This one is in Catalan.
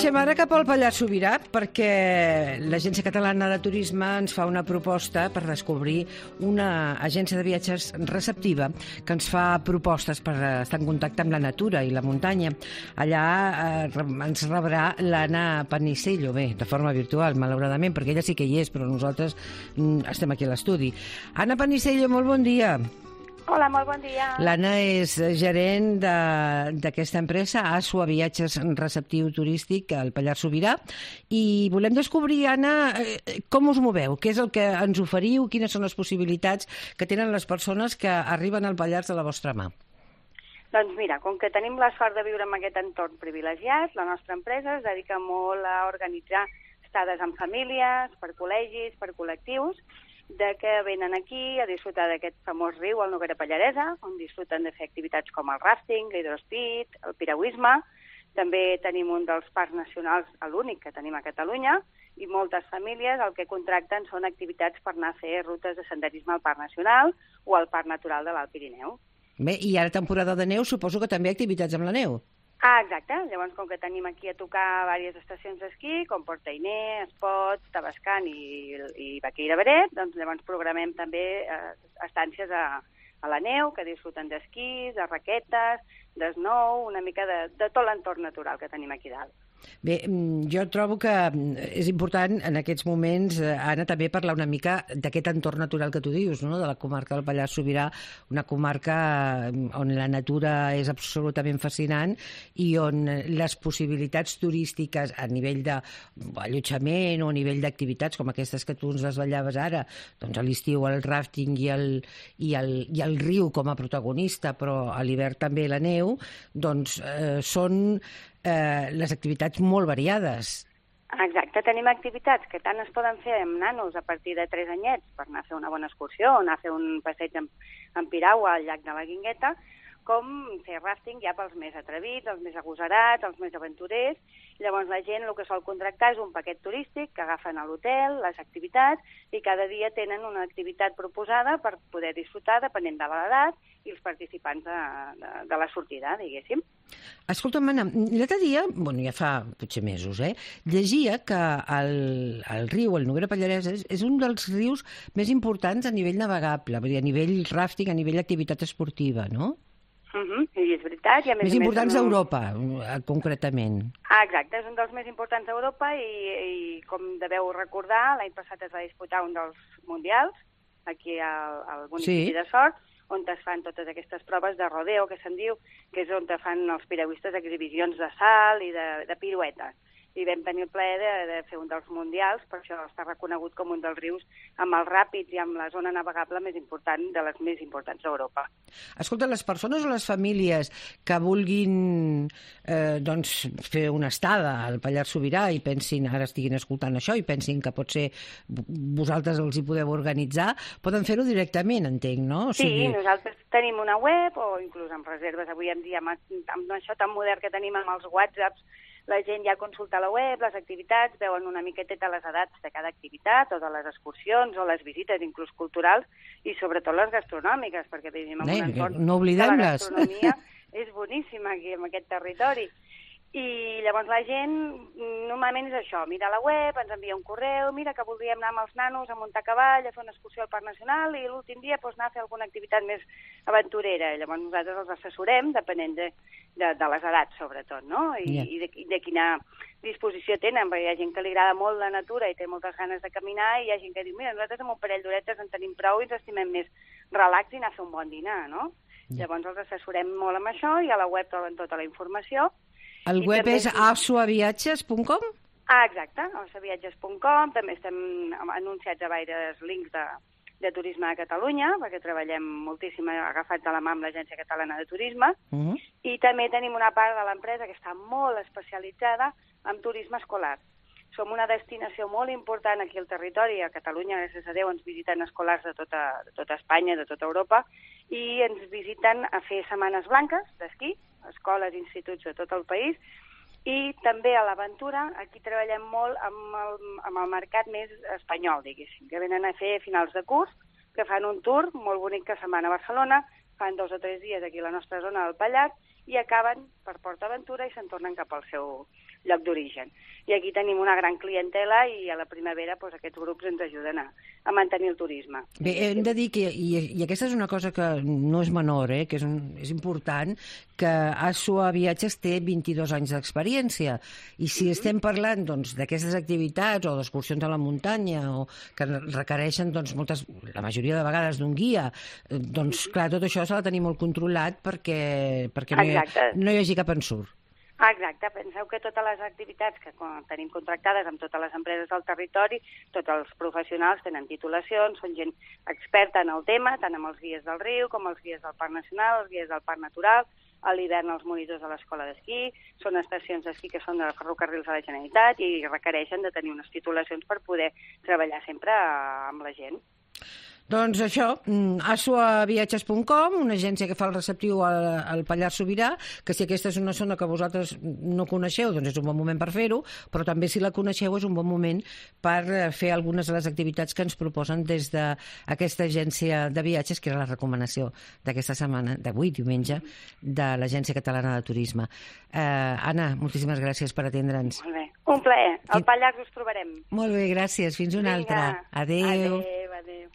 Marxem ara cap al Pallars Sobirà perquè l'Agència Catalana de Turisme ens fa una proposta per descobrir una agència de viatges receptiva que ens fa propostes per estar en contacte amb la natura i la muntanya. Allà ens rebrà l'Anna Panisello, bé, de forma virtual, malauradament, perquè ella sí que hi és, però nosaltres estem aquí a l'estudi. Anna Panisello, molt bon dia. Hola, molt bon dia. L'Anna és gerent d'aquesta empresa, Asua Viatges Receptiu Turístic al Pallars Sobirà, i volem descobrir, Anna, com us moveu, què és el que ens oferiu, quines són les possibilitats que tenen les persones que arriben al Pallars de la vostra mà. Doncs mira, com que tenim la sort de viure en aquest entorn privilegiat, la nostra empresa es dedica molt a organitzar estades amb famílies, per col·legis, per col·lectius, de que venen aquí a disfrutar d'aquest famós riu, el Noguera Pallaresa, on disfruten de fer activitats com el rafting, l'hidrospid, el piragüisme. També tenim un dels parcs nacionals, l'únic que tenim a Catalunya, i moltes famílies el que contracten són activitats per anar a fer rutes de senderisme al Parc Nacional o al Parc Natural de l'Alt Pirineu. Bé, i ara temporada de neu, suposo que també activitats amb la neu. Exacte. Llavors, com que tenim aquí a tocar diverses estacions d'esquí, com Portainer, Espot, Tabascan i Baqueira-Beret, doncs llavors programem també estàncies a la neu, que disfruten d'esquís, de raquetes, d'snow, una mica de tot l'entorn natural que tenim aquí dalt. Bé, jo trobo que és important en aquests moments, Anna, també parlar una mica d'aquest entorn natural que tu dius, no? De la comarca del Pallars Sobirà, una comarca on la natura és absolutament fascinant i on les possibilitats turístiques a nivell d'allotjament o a nivell d'activitats com aquestes que tu ens desvetllaves ara, doncs a l'estiu el rafting i el riu com a protagonista, però a l'hivern també la neu, doncs són les activitats molt variades. Exacte, tenim activitats que tant es poden fer amb nanos a partir de 3 anyets per anar a fer una bona excursió o anar a fer un passeig en piragua al llac de la Guingueta, com fer rafting ja pels més atrevits, els més agosarats, els més aventurers. Llavors la gent el que sol contractar és un paquet turístic que agafen a l'hotel, les activitats, i cada dia tenen una activitat proposada per poder disfrutar depenent de l'edat i els participants de la sortida, diguéssim. Escolta'm, Anna, l'altre dia, ja fa potser mesos, llegia que el riu, el Noguera Pallaresa, és un dels rius més importants a nivell navegable, a nivell rafting, a nivell d'activitat esportiva, no? I és veritat. Més importants d'Europa, concretament. Exacte, és un dels més importants d'Europa i com deveu recordar, l'any passat es va disputar un dels mundials, aquí al municipi de Sort, on es fan totes aquestes proves de rodeo, que se'n diu, que és on fan els piragüistes exhibicions de salt i de piruetes. I vam tenir el plaer de fer un dels mundials, per això està reconegut com un dels rius amb els ràpids i amb la zona navegable més important, de les més importants d'Europa. Escolta, les persones o les famílies que vulguin fer una estada al Pallars Sobirà i pensin, ara estiguin escoltant això, i pensin que potser vosaltres els hi podeu organitzar, poden fer-ho directament, entenc, no? Sí, nosaltres tenim una web, o inclús amb reserves avui en dia, amb això tan modern que tenim amb els WhatsApps, la gent ja consulta la web, les activitats, veuen una miqueteta les edats de cada activitat, o de les excursions, o les visites, inclús culturals, i sobretot les gastronòmiques, perquè vivim en un entorn no oblidem-les. La gastronomia és boníssima aquí, en aquest territori. I llavors la gent, normalment és això, mira la web, ens envia un correu, mira que voldríem anar amb els nanos a muntar a cavall, a fer una excursió al Parc Nacional, i l'últim dia anar a fer alguna activitat més aventurera. Llavors nosaltres els assessorem, depenent de les edats, sobretot, no? I de quina disposició tenen, perquè hi ha gent que li agrada molt la natura i té moltes ganes de caminar, i hi ha gent que diu, mira, nosaltres amb un parell d'horetes en tenim prou i ens estimem més relax i anar a fer un bon dinar, no? Llavors els assessorem molt amb això, i a la web troben tota la informació. El web és asuaviatges.com? Exacte, asuaviatges.com. També estem anunciats a diversos links de turisme de Catalunya, perquè treballem moltíssim agafats de la mà amb l'Agència Catalana de Turisme, i també tenim una part de l'empresa que està molt especialitzada en turisme escolar. Som una destinació molt important aquí al territori, a Catalunya, gràcies a Déu, ens visiten escolars de tota Espanya, de tota Europa, i ens visiten a fer setmanes blanques d'esquí, escoles i instituts de tot el país, i també a l'aventura. Aquí treballem molt amb el mercat més espanyol, diguéssim, que venen a fer finals de curs, que fan un tour molt bonic que se'n van a Barcelona, fan 2 o 3 dies aquí a la nostra zona del Pallars, i acaben per PortAventura i se'n tornen cap al seu lloc d'origen. I aquí tenim una gran clientela i a la primavera aquests grups ens ajuden a mantenir el turisme. Bé, hem de dir que, i aquesta és una cosa que no és menor, que és important, que Asua Viatges té 22 anys d'experiència. I si estem parlant d'aquestes activitats o d'excursions a la muntanya o que requereixen la majoria de vegades d'un guia, clar, tot això s'ha de tenir molt controlat perquè no hi hagi cap ensurt. Exacte, penseu que totes les activitats que tenim contractades amb totes les empreses del territori, tots els professionals tenen titulacions, són gent experta en el tema, tant amb els guies del riu com els guies del Parc Nacional, els guies del Parc Natural, a l'hivern els monitors de l'escola d'esquí, són estacions d'esquí que són de ferrocarrils de la Generalitat i requereixen de tenir unes titulacions per poder treballar sempre amb la gent. Doncs això, asuaviatges.com, una agència que fa el receptiu al Pallars Sobirà, que si aquesta és una zona que vosaltres no coneixeu, doncs és un bon moment per fer-ho, però també si la coneixeu és un bon moment per fer algunes de les activitats que ens proposen des d'aquesta agència de viatges, que era la recomanació d'aquesta setmana, d'avui, diumenge, de l'Agència Catalana de Turisme. Anna, moltíssimes gràcies per atendre'ns. Molt bé, un plaer. Al Pallars us trobarem. Molt bé, gràcies. Fins una altra. Adéu. Adéu, adéu.